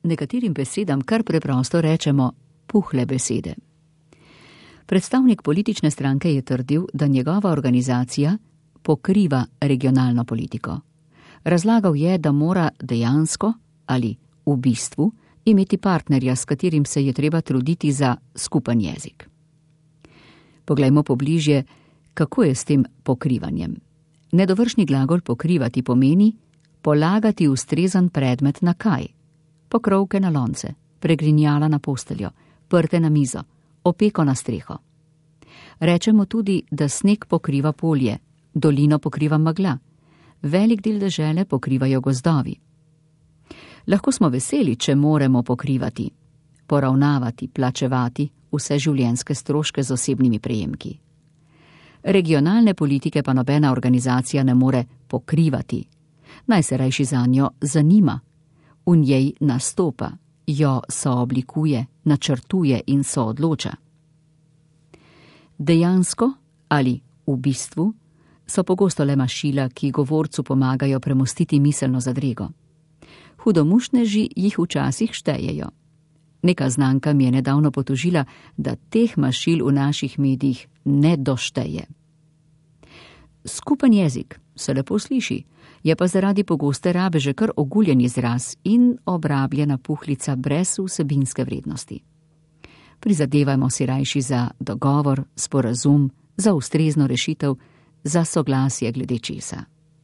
nekaterim besedam kar preprosto rečemo puhle besede. Predstavnik politične stranke je trdil, da njegova organizacija pokriva regionalno politiko. Razlagal je, da mora dejansko ali v bistvu imeti partnerja, s katerim se je treba truditi za skupen jezik. Poglejmo pobližje, kako je s tem pokrivanjem. Nedovršni glagol pokrivati pomeni polagati ustrezen predmet na kaj. Pokrovke na lonce, pregrinjala na posteljo, prte na mizo, opeko na streho. Rečemo tudi, da sneg pokriva polje, dolino pokriva megla, velik del dežele pokrivajo gozdovi. Lahko smo veseli, če moremo pokrivati, poravnavati, plačevati vse življenjske stroške z osebnimi prejemki. Regionalne politike pa nobena organizacija ne more pokrivati. Naj se rajši zanjo zanima, v njej nastopa, jo sooblikuje, načrtuje in soodloča. Dejansko ali v bistvu so pogosto le mašila, ki govorcu pomagajo premostiti miselno zadrego. Hudomušneži jih včasih štejejo. Neka znanka mi je nedavno potožila, da teh mašil v naših medijih ne došteje. Skupen jezik se lepo sliši, je pa zaradi pogoste rabe že kar oguljen izraz in obrabljena puhlica brez vsebinske vrednosti. Prizadevajmo si rajši za dogovor, sporazum, za ustrezno rešitev, za soglasje glede česa.